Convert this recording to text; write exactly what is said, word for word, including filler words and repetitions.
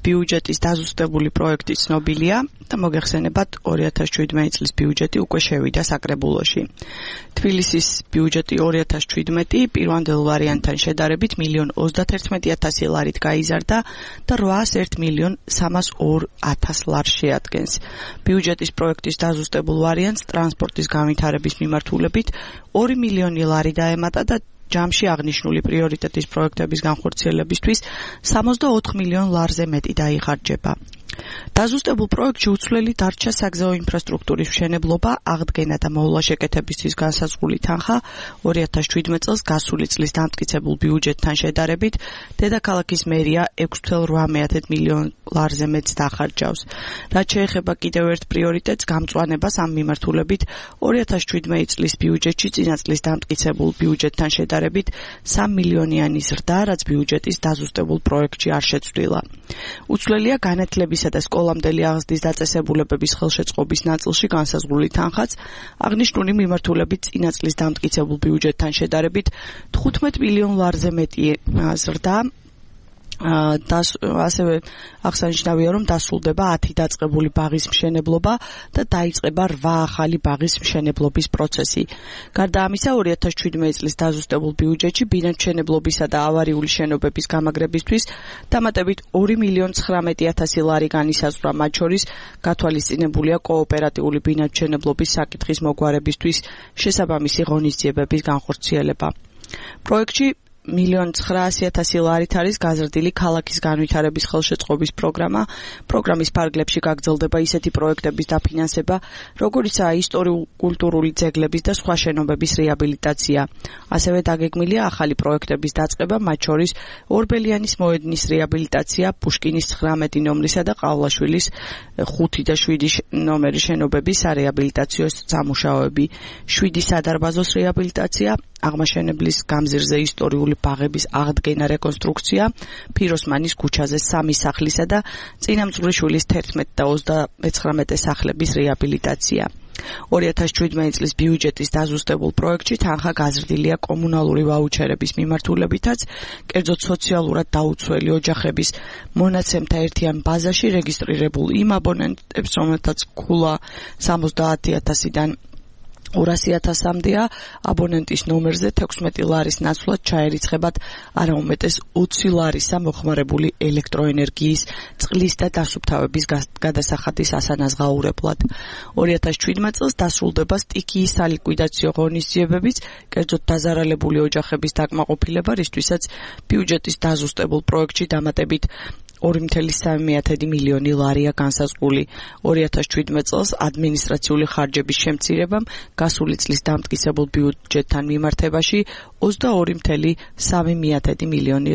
ბიუჯეტის დაზუსტებული პროექტი ცნობილია და მოგეხსენებათ ორი ათას შვიდმეტი წლის ბიუჯეტი უკვე შევიდა საკრებულოში. თბილისის ბიუჯეტი ორი ათას შვიდმეტი პირვანდელ ვარიანტთან შედარებით მილიონ ოცდათერთმეტი ათასი ლარით გაიზარდა და რვაას ერთ მილიონ სამას ორ ათას ლარს შეადგენს. ბიუჯეტის პროექტის დაზუსტებულ ვარიანტს ტრანსპორტის განვითარების მიმართულებით ორი მილიონი ლარი დაემატა და ჯამში აღნიშნული პრიორიტეტის პროექტების განხორციელებისთვის სამოცდაოთხ მილიონ ლარზე მეტი დაიხარჯება. დაზუსტებულ პროექტში უცვლელი დარჩა საგზაო ინფრასტრუქტურის მშენებლობა, აღდგენა და მოვლა შეკეთებისთვის განსაზღვრული თანხა ორი ათას შვიდმეტი წელს გასული წლის დამტკიცებულ ბიუჯეტთან შედარებით დედაქალაქის მერია ექვს წუთი რვა მილიონ ლარზე მეტს დახარჯავს. რაც შეეხება კიდევ ერთ პრიორიტეტს, გამწვანებას ამ მიმართულებით ორი ათას შვიდმეტი წლის ბიუჯეტში წინა წლის დამტკიცებულ ბიუჯეტთან შედარებით სამი მილიონიანი ზრდა, რაც ბიუჯეტის დაზუსტებულ პროექტში არ შეცვლილა. უცვლელია განათლების და სკოლამდელი აღზრდის დაწესებულებების ხელშეწყობის ნაწილში განსაზღვრული თანხაც აღნიშნული მიმართულებით წინა წლის დამტკიცებულ ბიუჯეტთან შედარებით თხუთმეტ მილიონ ლარზე მეტი ზრდა. ასევე აღსანიშნავია, რომ დასრულდება ათი დაწყებული ბაღის მშენებლობა და დაიწყება რვა ახალი ბაღის მშენებლობის პროცესი. გარდა ამისა, ორი ათას შვიდმეტი წლის დაზუსტებულ ბიუჯეტში ბინადმშენებლობისა და ავარიული შენობების გამაგრებისთვის დამატებით ორი მილიონ ცხრამეტი ათასი ლარი განისაზღვრა, მათ შორის გათვალისწინებულია კოოპერატიული ბინადმშენებლობის საკითხის მოგვარებისთვის შესაბამისი ღონისძიებების განხორციელება. პროექტში მილიონ ცხრაასი ათასი ლარით არის გაზრდილი ქალაქის განვითარების ხელშეწყობის პროგრამა. პროგრამის ფარგლებში გაგრძელდება ისეთი პროექტების დაფინანსება, როგორიცაა ისტორიულ-კულტურული ძეგლების და სხვა შენობების რეაბილიტაცია. ასევე დაგეგმილია ახალი პროექტების დაწყება, მათ შორის ორბელიანის მოედნის რეაბილიტაცია, პუშკინის ცხრამეტი ნომრისა და ყავლაშვილის ხუთი და შვიდი ნომერის შენობებისარეაბილიტაციო სამუშაოები, შვიდი სადარბაზოს რეაბილიტაცია, აღმაშენებლის გამზირზე ისტორიული ბაღების აღდგენა რეკონსტრუქცია, ფიროსმანის ქუჩაზე სამი სახლისა და წინამძღვრიშვილის თერთმეტი და ოცდამეცხრამეტე სახლების რეაბილიტაცია. ორი ათას შვიდმეტი წლის ბიუჯეტის დაზუსტებულ პროექტში თანხა გაზრდილია კომუნალური ვაუჩერების მიმართულებითაც, კერძოდ სოციალურად დაუცველი ოჯახების მონაცემთა ერთიან ბაზაში რეგისტრირებულ იმ აბონენტებს, რომელთაც ქულა სამოცდაათი ათასიდან ორასი ათასამდეა, აბონენტის ნომერზე თექვსმეტი ლარის ნაცვლად ჩაერიცხებათ არა უმეტეს ოცი ლარისა მოხმარებული ელექტროენერგიის, წყლის და დასუფთავების გადასახადის ასანაზღაურებლად. ორი ათას შვიდმეტი წელს დასრულდება სტიქიის სალიკვიდაციო ღონისძიებებიც, კერძოდ დაზარალებული ოჯახების დაკმაყოფილება, რისთვისაც ბიუჯეტის დაზუსტებულ პროექტში დამატებით ორი წუთი სამი მილიონი ლარია განსაზღვრული. ორი ათას შვიდმეტი წელს ადმინისტრაციული ხარჯების შემცირებამ გასული წლის დამტკიცებულ ბიუჯეტთან მიმართებაში ოცდაორი წუთი სამი მილიონი